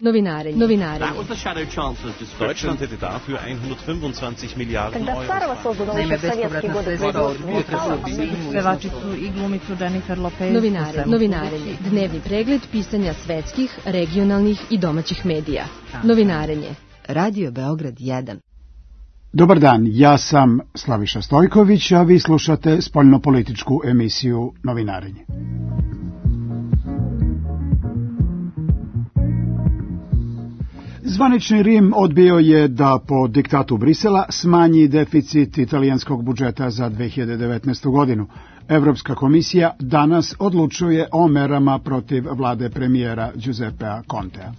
Novinare. That was the shadow chancellor's description. Deutschland hätte dafür 125 Milliarden Euro. Naime, bespovratna sredstva pevačicu i glumicu Jennifer Lopez. Novinarenje. Dnevni pregled pisanja svetskih, regionalnih i domaćih medija. Novinarenje. Radio Beograd 1. Dobar dan, ja sam Slaviša Stojković, a vi slušate spoljnopolitičku emisiju Novinarenje. Zvanični Rim odbio je da po diktatu Brisela smanji deficit italijanskog budžeta za 2019. godinu. Evropska komisija danas odlučuje o merama protiv vlade premijera Giuseppea Contea.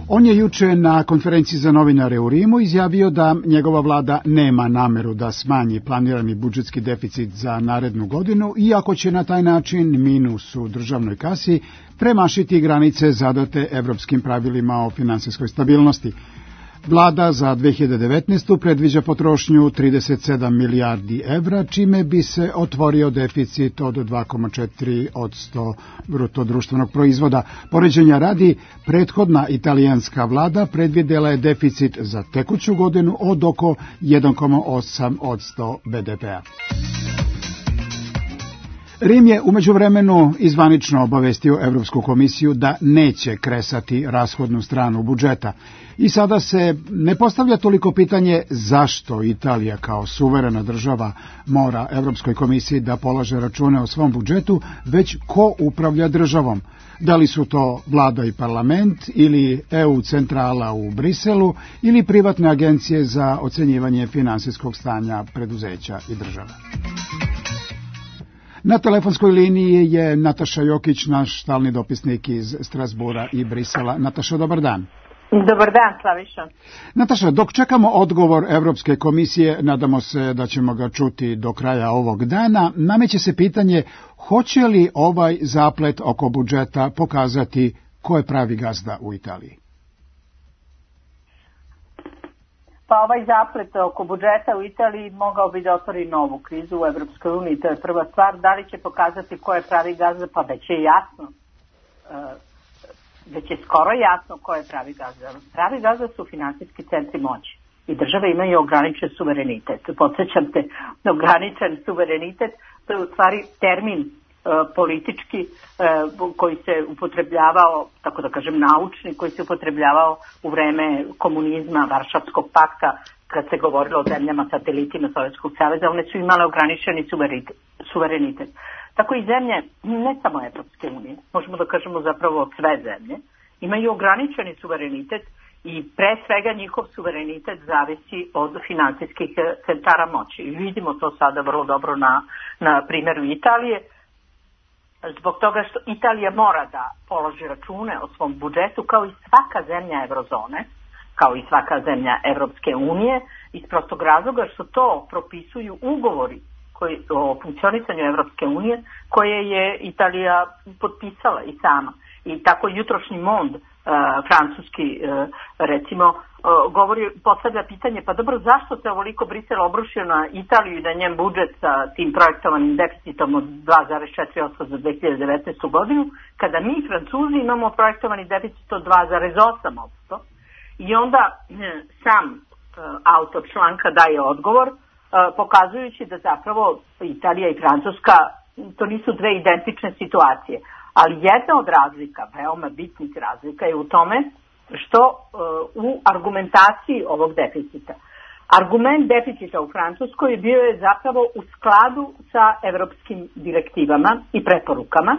On je juče na konferenciji za novinare u Rimu izjavio da njegova vlada nema nameru da smanji planirani budžetski deficit za narednu godinu, iako će na taj način minus u državnoj kasi premašiti granice zadate evropskim pravilima o finansijskoj stabilnosti. Vlada za 2019. predviđa potrošnju 37 milijardi evra, čime bi se otvorio deficit od 2,4% bruto društvenog proizvoda. Poređenja radi, prethodna italijanska vlada predvidela je deficit za tekuću godinu od oko 1,8% BDP-a. Rim je u međuvremenu izvanično obavestio Evropsku komisiju da neće kresati rashodnu stranu budžeta. I sada se ne postavlja toliko pitanje zašto Italija kao suverena država mora Evropskoj komisiji da polaže račune o svom budžetu, već ko upravlja državom. Da li su to vlada i parlament ili EU centrala u Briselu ili privatne agencije za ocenjivanje finansijskog stanja preduzeća i država. Na telefonskoj liniji je Nataša Jokić, naš stalni dopisnik iz Strasbura i Brisela. Nataša, dobar dan. Dobar dan, Slaviša. Nataša, dok čekamo odgovor Evropske komisije, nadamo se da ćemo ga čuti do kraja ovog dana, nameće se pitanje hoće li ovaj zaplet oko budžeta pokazati ko je pravi gazda u Italiji? Pa ovaj zaplet oko budžeta u Italiji mogao bi da otvori novu krizu u Evropskoj uniji, to je prva stvar. Da li će pokazati ko je pravi gazda? Pa već je jasno. Već je skoro jasno ko je pravi gazda. Pravi gazda su finansijski centri moći i države imaju ograničen suverenitet. Podsjećam te, ograničen suverenitet, to je u stvari termin politički koji se upotrebljavao, tako da kažem naučni, koji se upotrebljavao u vreme komunizma, Varšavskog pakta, kad se govorilo o zemljama satelitima Sovjetskog saveza, one su imale ograničeni suverenitet. Tako i zemlje, ne samo Evropske unije, možemo da kažemo zapravo sve zemlje, imaju ograničeni suverenitet i pre svega njihov suverenitet zavisi od finansijskih centara moći. I vidimo to sada vrlo dobro na primjeru Italije, zbog toga što Italija mora da položi račune o svom budžetu kao i svaka zemlja eurozone, kao i svaka zemlja Evropske unije, iz prostog razloga što to propisuju ugovori o funkcionisanju Evropske unije koje je Italija potpisala i sama. I tako jutrošnji Mond, francuski, recimo, postavlja pitanje, pa dobro, zašto se ovoliko Brisel obrušio na Italiju i na njen budžet sa tim projektovanim deficitom od 2,4% za 2019. godinu, kada mi, Francuzi, imamo projektovani deficit od 2,8%. I onda sam autor članka daje odgovor, pokazujući da zapravo Italija i Francuska, to nisu dve identične situacije. Ali jedna od razlika, veoma bitnih razlika, je u tome što u argumentaciji ovog deficita. Argument deficita u Francuskoj bio je zapravo u skladu sa evropskim direktivama i preporukama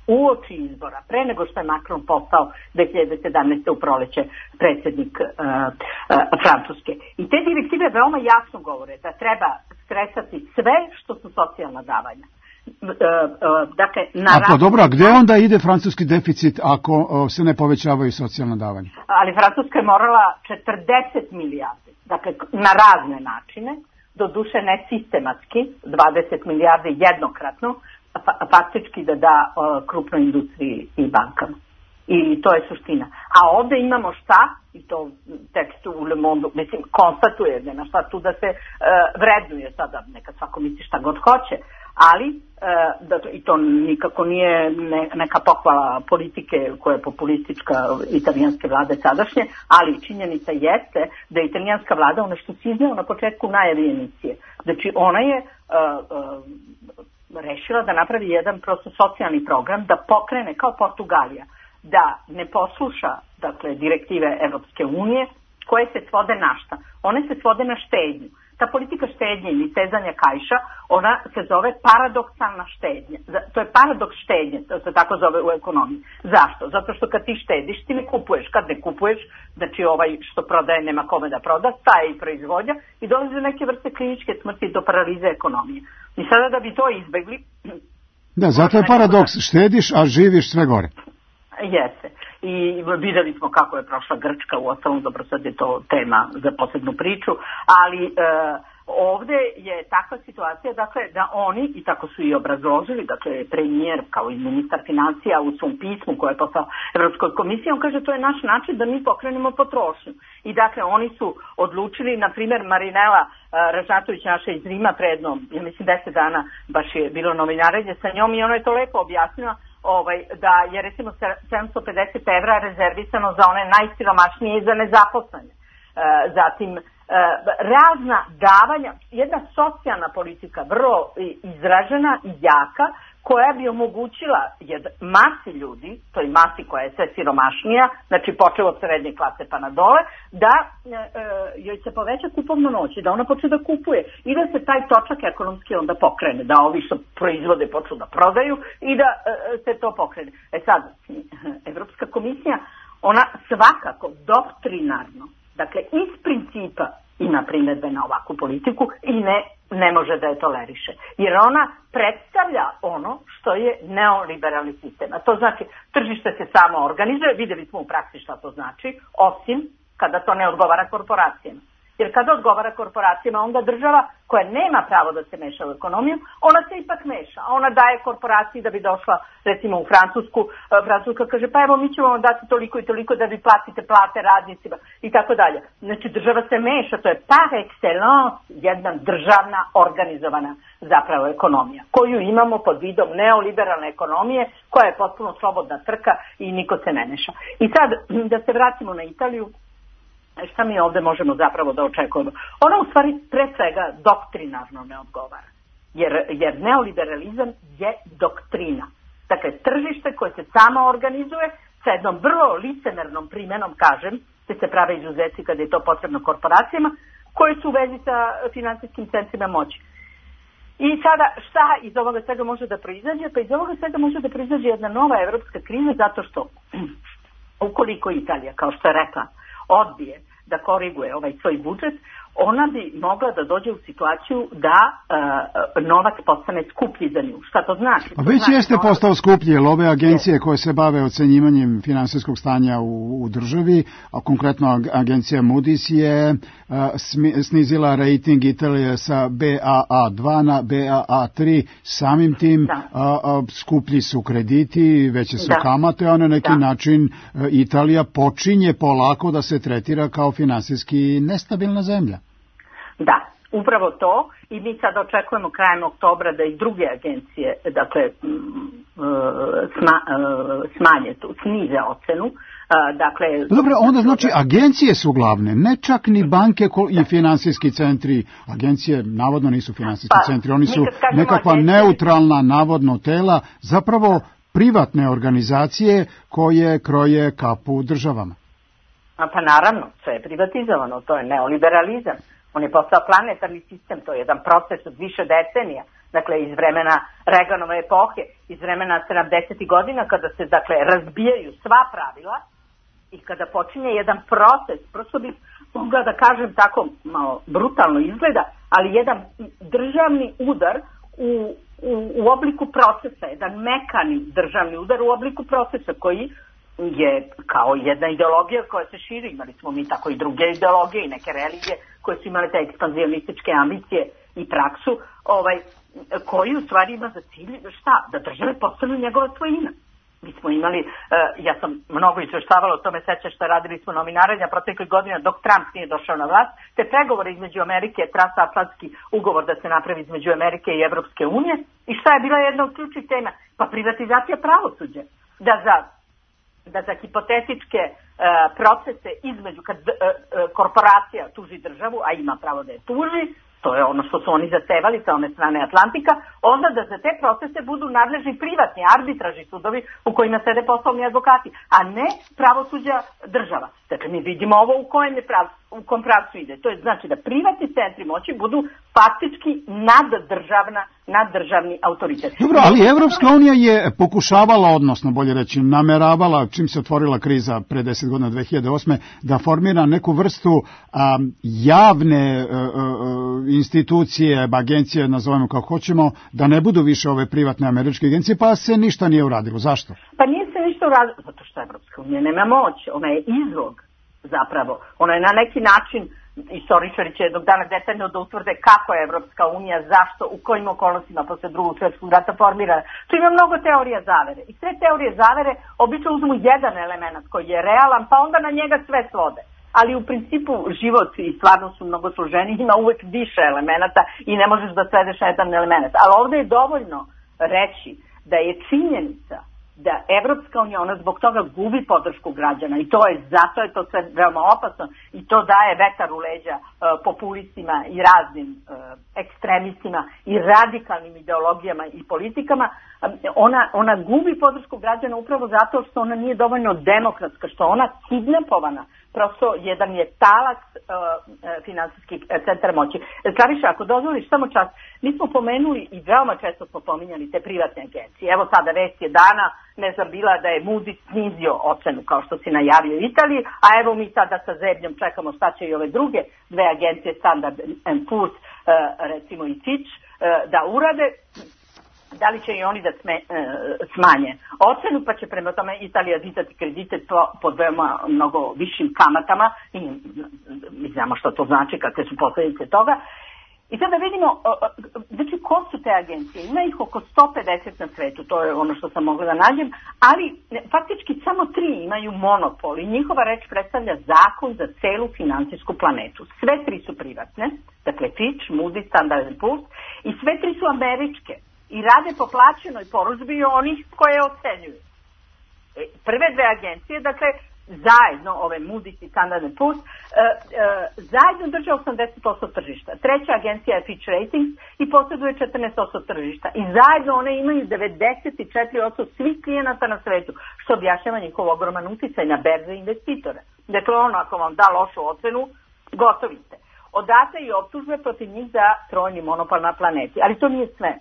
uoči izbora, pre nego što je Macron postao 2017. u proleće predsjednik Francuske. I te direktive veoma jasno govore da treba stresati sve što su socijalna davanja. Dakle, dobro, a gde onda ide francuski deficit ako se ne povećavaju socijalna davanja? Ali Francuska je morala 40 milijardi, dakle na razne načine, doduše ne sistematski, 20 milijardi jednokratno, faktički da krupnoj industriji i bankama. I to je suština. A ovde imamo šta, i to tekstu u Le Monde, mislim, konstatuje, nema šta tu da se vrednuje sada, neka svako misli šta god hoće, ali i to nikako nije neka pohvala politike koja je populistička italijanske vlade sadašnje, ali činjenica jeste da je italijanska vlada, ono što si izneo na početku najavi emisije, znači ona je rešila da napravi jedan prosto socijalni program, da pokrene kao Portugalija, da ne posluša, dakle, direktive Evropske unije, koje se svode na šta? One se svode na štednju. Ta politika štednje ili stezanja kaiša, ona se zove paradoksalna štednja. To je paradoks štednje, to se tako zove u ekonomiji. Zašto? Zato što kad ti štediš, ti ne kupuješ. Kad ne kupuješ, znači ovaj što prodaje nema kome da proda, staje i proizvodnja i dolaze do neke vrste kliničke smrti, do paralize ekonomije. I sada da bi to izbegli... Da, zato je paradoks, štediš, a živiš sve gore. Jeste. I videli smo kako je prošla Grčka, u ostalom, dobro, sad je to tema za posebnu priču, ali ovde je takva situacija, dakle, da oni, i tako su i obrazložili, dakle, premijer kao i ministar financija u svom pismu koje je poslao Evropskoj komisiji, on kaže to je naš način da mi pokrenemo potrošnju. I dakle, oni su odlučili, na primjer, Marinela Ražnatović, naša iz Rima, predno, ja mislim 10 dana baš je bilo novinarenje sa njom i ona je to lepo objasnila, da je recimo 750 evra rezervisano za one najsiromašnije i za nezaposlene. Zatim, razna davanja, jedna socijalna politika vrlo izražena i jaka, koja bi omogućila masi ljudi, to je masi koja je sve siromašnija, znači počeo od srednje klase pa na dole, da joj se poveća kupovna moć i da ona počne da kupuje i da se taj točak ekonomski onda pokrene, da ovi što proizvode počnu da prodaju i da se to pokrene. Sad, Evropska komisija, ona svakako doktrinarno, dakle iz principa ima primedbe na ovakvu politiku i ne može da je toleriše. Jer ona predstavlja ono što je neoliberalni sistem. A to znači, tržište se samo organizuje, videli smo u praksi šta to znači, osim kada to ne odgovara korporacijama. Jer kada odgovara korporacijama, onda država koja nema pravo da se meša u ekonomiju, ona se ipak meša. Ona daje korporaciji da bi došla, recimo u Francusku, Francuska kaže pa evo mi ćemo vam dati toliko i toliko da vi platite plate radnicima i tako dalje. Znači država se meša, to je par excellence jedna državna organizovana zapravo ekonomija, koju imamo pod vidom neoliberalne ekonomije koja je potpuno slobodna trka i niko se ne meša. I sad da se vratimo na Italiju, šta mi ovde možemo zapravo da očekujemo? Ona u stvari pre svega doktrinarno ne odgovara. Jer neoliberalizam je doktrina. Dakle, tržište koje se samo organizuje sa jednom vrlo licemernom primenom, kažem, te se prave izuzeci kada je to potrebno korporacijama, koje su u vezi sa finansijskim centrima moći. I sada šta iz ovoga svega može da proizađe? Pa iz ovoga svega može da proizađe jedna nova evropska kriza zato što ukoliko Italija, kao što je rekla, odbije da koriguje ovaj svoj budžet, ona bi mogla da dođe u situaciju da novac postane skuplji za nju. Šta to znači? A već jeste postao skuplji, jer ove agencije koje se bave ocenjivanjem finansijskog stanja u državi, a konkretno agencija Moody's je snizila rating Italije sa BAA2 na BAA3, samim tim skuplji su krediti, veće su kamate, a na neki način Italija počinje polako da se tretira kao finansijski nestabilna zemlja. Da, upravo to i mi sad očekujemo krajem oktobra da i druge agencije, dakle, snize ocenu. Dakle, dobro, onda znači agencije su glavne, ne čak ni banke i finansijski centri. Agencije navodno nisu finansijski centri, oni su nekakva neutralna navodno tela, zapravo privatne organizacije koje kroje kapu državama. Pa naravno, sve je privatizovano, to je neoliberalizam. On je postao planetarni sistem, to je jedan proces od više decenija, dakle iz vremena Reaganove epohe, iz vremena 70. godina kada se dakle razbijaju sva pravila i kada počinje jedan proces, prosto bih mogla da kažem tako malo brutalno izgleda, ali jedan državni udar u obliku procesa, jedan mekani državni udar u obliku procesa koji je kao jedna ideologija koja se širi, imali smo mi tako i druge ideologije i neke religije koje su imale te ekspanzionističke ambicije i praksu, koji u stvari ima za cilj šta? Da države postanu njegova svojina. Mi smo imali, ja sam mnogo izveštavala o tome, sećaš šta radili smo novinaranja proteklih godina dok Trump nije došao na vlast, te pregovore između Amerike, transatlantski ugovor da se napravi između Amerike i Evropske unije. I šta je bila jedna od ključnih tema? Pa privatizacija pravosuđa. Da za hipotetičke procese između kad korporacija tuži državu, a ima pravo da je tuži, to je ono što su oni zahtevali sa one strane Atlantika, onda da za te procese budu nadležni privatni arbitražni sudovi u kojima sede poslovni advokati, a ne pravosuđa država. Dakle, mi vidimo ovo u kom pravcu ide. To je znači da privatni centri moći budu faktički naddržavni autoritet. Dobro, ali Evropska unija je pokušavala, odnosno bolje reći, nameravala, čim se otvorila kriza pre 10 godina 2008. da formira neku vrstu javne institucije, agencije, nazovemo kako hoćemo, da ne budu više ove privatne američke agencije, pa se ništa nije uradilo. Zašto? Pa nije se ništa uradilo, zato što Evropska unija nema moć, ona je izlog zapravo. Ona je na neki način, istoričari će jednog dana detaljno da utvrde kako je Evropska unija, zašto, u kojim okolnostima posle Drugog svjetskog rata formirana. Tu ima mnogo teorija zavere. I sve teorije zavere obično uzmu jedan element koji je realan, pa onda na njega sve svode. Ali u principu život i stvarno su mnogo složeniji, ima uvek više elemenata i ne možeš da svedeš na jedan element. Ali ovde je dovoljno reći da je činjenica da Evropska unija, ona zbog toga gubi podršku građana i zato je to sve veoma opasno i to daje vetar u leđa populistima i raznim ekstremistima i radikalnim ideologijama i politikama. Ona gubi podršku građana upravo zato što ona nije dovoljno demokratska, što ona kidnapovana. Prosto jedan je talac finansijskih centara moći. Slaviša, ako dozvoliš samo čas, mi smo pomenuli i veoma često smo pominjali te privatne agencije. Evo sada vest je dana, ne znam bila da je Moody's snizio ocenu kao što si najavio u Italiji, a evo mi sada sa zebnjom čekamo šta će i ove druge dve agencije Standard & Poor's, recimo i Fitch, da urade. Da li će i oni da smanje ocenu, pa će prema tome Italija dizati kredite pod veoma mnogo višim kamatama i mi znamo što to znači, kakve su posljedice toga. I sada vidimo, znači ko su te agencije? Ima ih oko 150 na svetu, to je ono što sam mogla da nađem, ali faktički samo 3 imaju monopol i njihova reč predstavlja zakon za celu finansijsku planetu. Sve 3 su privatne, dakle Fitch, Moody's, Standard & Poor's i sve 3 su američke. I rade po plaćenoj porudžbi onih koje ocenjuju. Prve dve agencije, dakle, zajedno, ove Moody's i Standard & Poor's, zajedno drže 80% tržišta. Treća agencija je Fitch Ratings i posjeduje 14% tržišta. I zajedno one imaju 94% svih klijenata na svetu, što objašnjava njihov ogroman uticaj na berze investitore. Dakle, ono, ako vam da lošu ocenu, gotovi ste. Odate i optužbe protiv njih za trojni monopol na planeti. Ali to nije sve.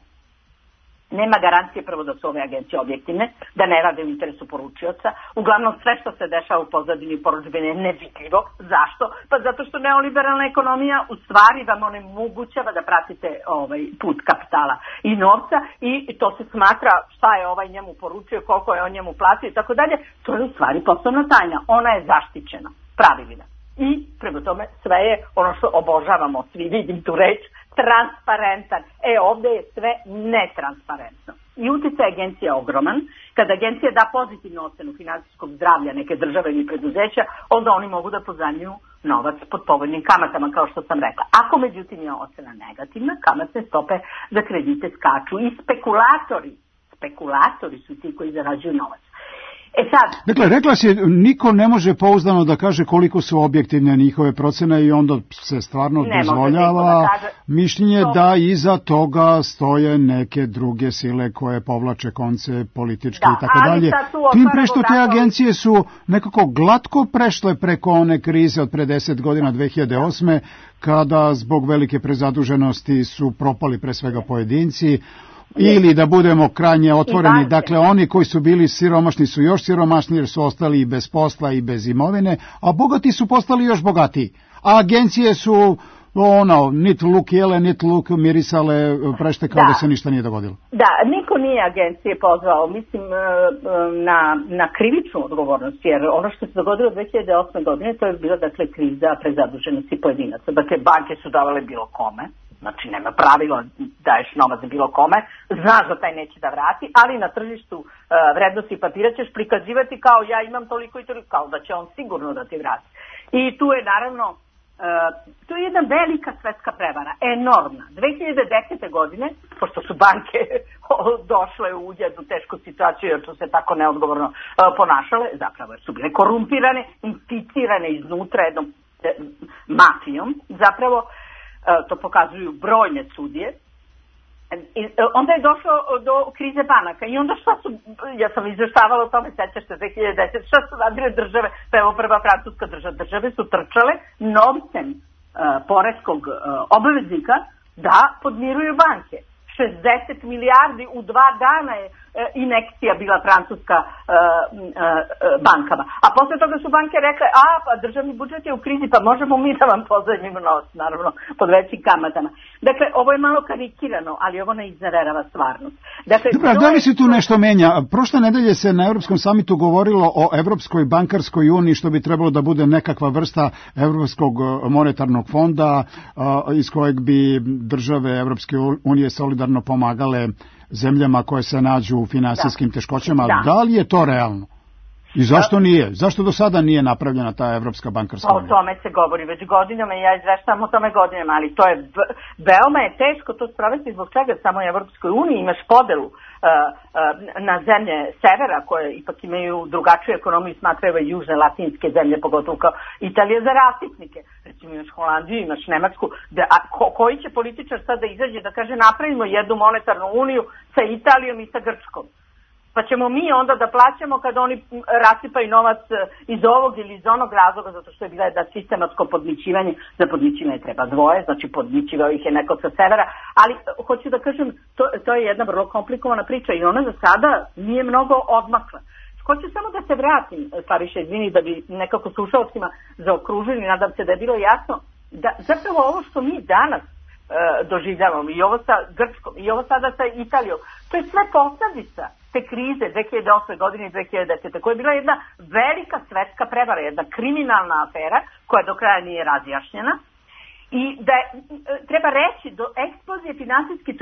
Nema garancije prvo da su ove agencije objektivne, da ne rade u interesu poručioca. Uglavnom sve što se dešava u pozadini porudžbine je nevidljivo. Zašto? Pa zato što neoliberalna ekonomija u stvari vam onemogućava da pratite put kapitala i novca i to se smatra šta je ovaj njemu poručio, koliko je on njemu platio i tako dalje. To je u stvari poslovna tajna. Ona je zaštićena pravilima. I prema tome sve je ono što obožavamo, svi vidim tu reč, transparentan. Ovdje je sve netransparentno. I utjecaj agencija je ogroman. Kada agencija da pozitivnu ocenu finansijskog zdravlja neke države ili preduzeća, onda oni mogu da pozajmljuju novac pod povoljnim kamatama, kao što sam rekla. Ako međutim je ocena negativna, kamatne stope za kredite skaču i spekulatori su ti koji zarađuju novac. Dakle, rekla si, niko ne može pouzdano da kaže koliko su objektivne njihove procene i onda se stvarno dozvoljava mišljenje da iza toga stoje neke druge sile koje povlače konce političke i tako dalje. Tim pre što te agencije su nekako glatko prešle preko one krize od pre 10 godina 2008. kada zbog velike prezaduženosti su propali pre svega pojedinci. Ili da budemo krajnje otvoreni, dakle oni koji su bili siromašni su još siromašni jer su ostali i bez posla i bez imovine, a bogati su postali još bogatiji. A agencije su nit luk jele, nit luk mirisale, prešte kao da se ništa nije dogodilo. Da, niko nije agencije pozvao, mislim, na krivičnu odgovornost, jer ono što se dogodilo 2008. godine, to je bila, dakle, kriza prezaduženosti pojedinaca. Dakle, banke su davale bilo kome, Znači, nema pravila, daješ novac bilo kome, znaš da taj neće da vrati, ali na tržištu vrednosti papira ćeš prikazivati kao ja imam toliko i toliko, kao da će on sigurno da ti vrati. I tu je naravno, to je jedna velika svetska prevara, enormna. 2010. godine, pošto su banke došle u jednu tešku situaciju jer su se tako neodgovorno ponašale, zapravo su bile korumpirane, inficirane iznutra jednom mafijom, zapravo to pokazuju brojne sudije. Onda je došlo do krize banaka i onda šta su, ja sam izveštavala o tome, sećaš se 2010, šta su radile države, pa evo prva francuska države su trčale novcem poreskog obveznika da podmiruju banke. 60 milijardi u 2 dana je injekcija bila francuska bankama. A posle toga su banke rekle, pa državni budžet je u krizi, pa možemo mi da vam pozajmimo novac, naravno, pod većim kamatama. Dakle, ovo je malo karikirano, ali ovo ne iznererava stvarnost. Dakle, dobro, da li se tu nešto menja? Prošle nedelje se na Evropskom samitu govorilo o Evropskoj bankarskoj uniji, što bi trebalo da bude nekakva vrsta Evropskog monetarnog fonda iz kojeg bi države Evropske unije solidarno pomagale zemljama koje se nađu u finansijskim teškoćama. Da li je to realno? I zašto nije? Zašto do sada nije napravljena ta Evropska bankarska unija? O tome se govori već godinama i ja izveštavam o tome godinama, ali to je veoma je teško to sprovesti. Zbog čega samo u Evropskoj uniji imaš podelu na zemlje severa koje ipak imaju drugačiju ekonomiju, smatraju i južne latinske zemlje, pogotovo kao Italija za rasipnike. Recimo imaš Holandiju, imaš Nemačku, koji će političar sad da izađe da kaže napravimo jednu monetarnu uniju sa Italijom i sa Grčkom. Pa ćemo mi onda da plaćamo kada oni rasipaju novac iz ovog ili iz onog razloga, zato što je bila da sistematsko podmićivanje, za podmićivanje treba dvoje, znači podmićivao ih je neko sa severa, ali hoću da kažem, to je jedna vrlo komplikovana priča i ona za sada nije mnogo odmakla. Hoću samo da se vratim, Slaviša, izvini, da bi nekako slušalcima zaokružili, nadam se da je bilo jasno, da zapravo ovo što mi danas doživljavamo i ovo sa Grčkom i ovo sada sa Italijom, to je sve posledica te krize 2008. godine i 2010. koja je bila jedna velika svetska prevara, jedna kriminalna afera koja do kraja nije razjašnjena i da treba reći do eksplozije finansijskih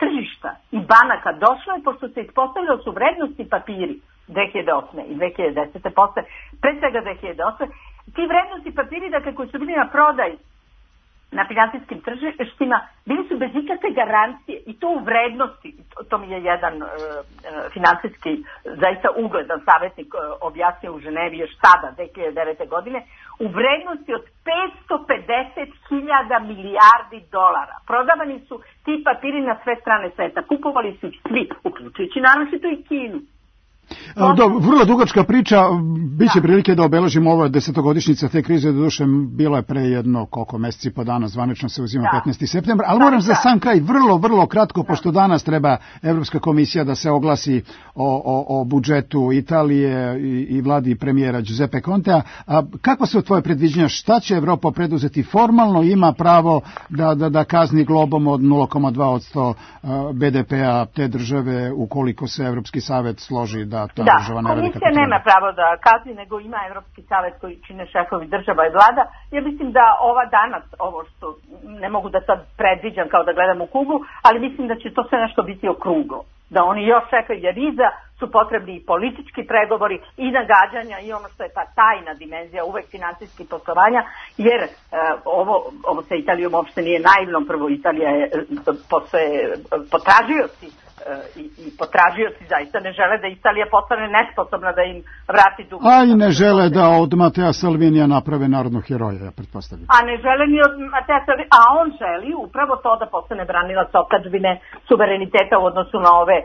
tržišta i banaka došlo je pošto se ispostavljalo su vrednosti papiri 2008. i 2010. posle, pre svega 2008. Ti vrednosti papiri, dakle, koji su bili na prodaj na finansijskim tržištima, bili su bez ikakve garancije i to u vrednosti, to mi je jedan finansijski zaista ugledan savjetnik objasnio u Ženevi još tada, 2009. godine, u vrednosti od 550.000 milijardi dolara. Prodavani su ti papiri na sve strane sveta, kupovali su ih svi, uključujući naročito i Kinu. Vrlo dugačka priča, bit će prilike da obeležimo ovo 10-godišnjica te krize, doduše bilo je pre jedno koliko meseci po dana, zvanično se uzima 15. septembar, ali moram za sam kraj vrlo kratko, pošto danas treba Evropska komisija da se oglasi o budžetu Italije i vladi premijera Giuseppe Contea. Kako se u tvoje predviđenja, šta će Evropa preduzeti formalno, ima pravo da kazni globom od 0,2% BDP-a te države ukoliko se Evropski savet složi da ta država ne radi kako treba? Komisija nema pravo da kazni, nego ima Evropski savet koji čine šefovi država i vlada. Ja mislim da ova danas, ovo što ne mogu da sad predviđam kao da gledam u kuglu, ali mislim da će to sve nešto biti okruglo. Da oni još čekaju, jer iza su potrebni i politički pregovori i nagađanja i ono što je ta tajna dimenzija uvek finansijskih poslovanja, jer ovo sa Italijom uopšte nije naivno. Prvo, Italija je potražioci i potražioci zaista ne žele da Italija postane nesposobna da im vrati dug. A i ne žele da od Matea Salvinija naprave narodnog heroja, ja pretpostavljam. A ne žele ni od Matea Salvinija, a on želi upravo to da postane branilac otadžbine, suvereniteta u odnosu na ove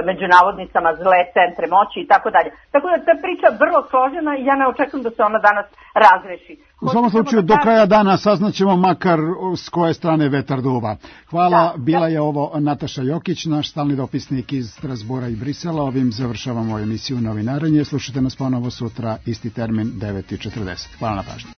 među navodnicama zle centre moći i tako dalje. Tako da ta priča vrlo složena i ja ne očekujem da se ona danas razreši. U svakom slučaju do kraja dana saznaćemo makar s koje strane vetar duva. Hvala, bila je ovo Nataša Jokić, naš stalni dopisnik iz Strasbura i Brisela. Ovim završavamo emisiju Novinarenje. Slušajte nas ponovo sutra, isti termin, 9:40. Hvala na pažnji.